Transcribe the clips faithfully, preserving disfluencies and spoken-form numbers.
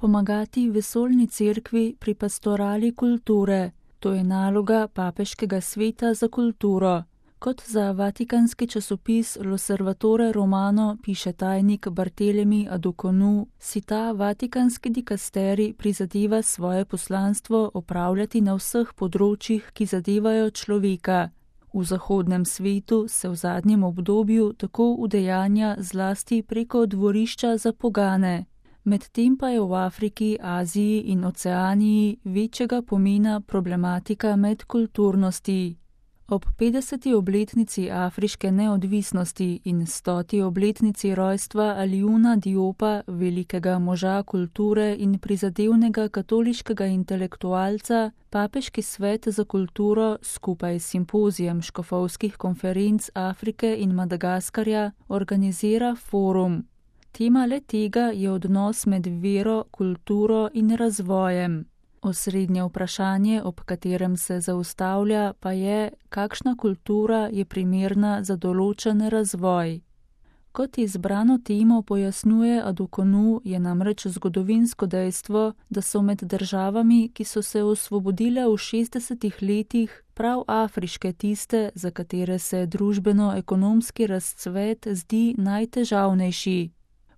Pomagati vesoljni cerkvi pri pastorali kulture. To je naloga Papeškega sveta za kulturo. Kot za vatikanski časopis L'Osservatore Romano piše tajnik Barthelemy Addoconou, si ta vatikanski dikasterij prizadeva svoje poslanstvo opravljati na vseh področjih, ki zadevajo človeka. V zahodnem svetu se v zadnjem obdobju tako udejanja zlasti preko dvorišča za pogane. Medtem pa je v Afriki, Aziji in Oceaniji večjega pomena problematika medkulturnosti. Ob petdeseti obletnici afriške neodvisnosti in stoti obletnici rojstva Aliouna Diopa, velikega moža kulture in prizadevnega katoliškega intelektualca, Papeški svet za kulturo skupaj s simpozijem škofovskih konferenc Afrike in Madagaskarja organizira forum. Tema le tega je odnos med vero, kulturo in razvojem. Osrednje vprašanje, ob katerem se zaustavlja, pa je, kakšna kultura je primerna za določen razvoj. Kot izbrano temo pojasnjuje Addoconou, je namreč zgodovinsko dejstvo, da so med državami, ki so se osvobodile v šestdesetih letih, prav afriške tiste, za katere se družbeno-ekonomski razcvet zdi najtežavnejši.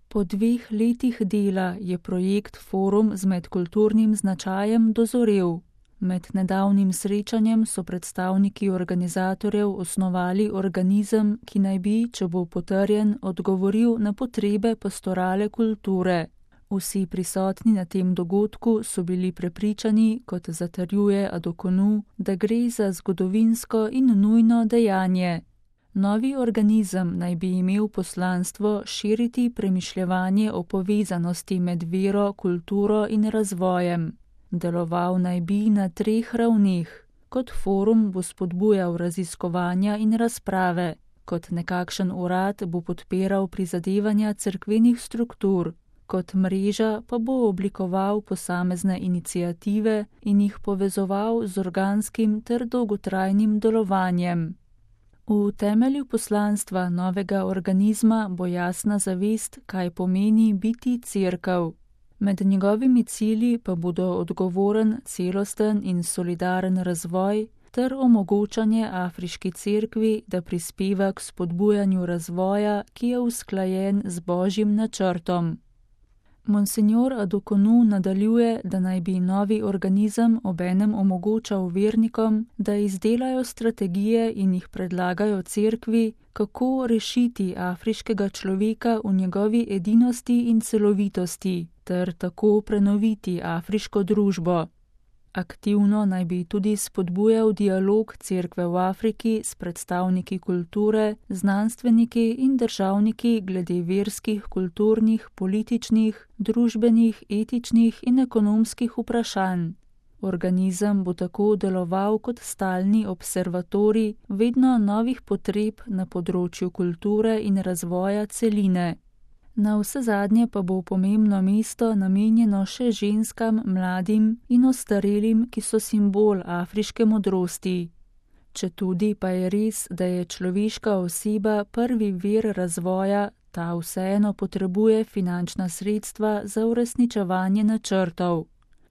Po dveh letih dela je projekt Forum z medkulturnim značajem dozorel. Med nedavnim srečanjem so predstavniki organizatorjev osnovali organizem, ki naj bi, če bo potrjen, odgovoril na potrebe pastorale kulture. Vsi prisotni na tem dogodku so bili prepričani, kot zatrjuje Addoconou, da gre za zgodovinsko in nujno dejanje. Novi organizem naj bi imel poslanstvo širiti premišljevanje o povezanosti med vero, kulturo in razvojem. Deloval naj bi na treh ravneh. Kot forum bo spodbujal raziskovanja in razprave. Kot nekakšen urad bo podpiral prizadevanja cerkvenih struktur. Kot mreža pa bo oblikoval posamezne iniciative in jih povezoval z organskim ter dolgotrajnim delovanjem. V temelju poslanstva novega organizma bo jasna zavest, kaj pomeni biti cerkev. Med njegovimi cilji pa bodo odgovoren, celosten in solidaren razvoj ter omogočanje afriški cerkvi, da prispeva k spodbujanju razvoja, ki je usklajen z božjim načrtom. Monsignor Addoconou nadaljuje, da naj bi novi organizem obenem omogočal vernikom, da izdelajo strategije in jih predlagajo cerkvi, kako rešiti afriškega človeka v njegovi edinosti in celovitosti, ter tako prenoviti afriško družbo. Aktivno naj bi tudi spodbujal dialog cerkve v Afriki s predstavniki kulture, znanstveniki in državniki glede verskih, kulturnih, političnih, družbenih, etičnih in ekonomskih vprašanj. Organizem bo tako deloval kot stalni observatorij vedno novih potreb na področju kulture in razvoja celine. Na vse zadnje pa bo pomembno mesto namenjeno še ženskam, mladim in ostarelim, ki so simbol afriške modrosti. Četudi pa je res, da je človeška oseba prvi vir razvoja, ta vseeno potrebuje finančna sredstva za uresničevanje načrtov.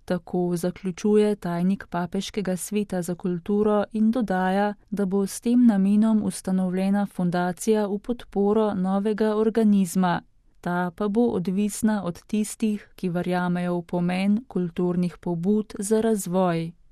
Tako zaključuje tajnik Papeškega sveta za kulturo in dodaja, da bo s tem namenom ustanovljena fundacija v podporo novega organizma. Ta pa bo odvisna od tistih, ki verjamejo v pomen kulturnih pobud za razvoj.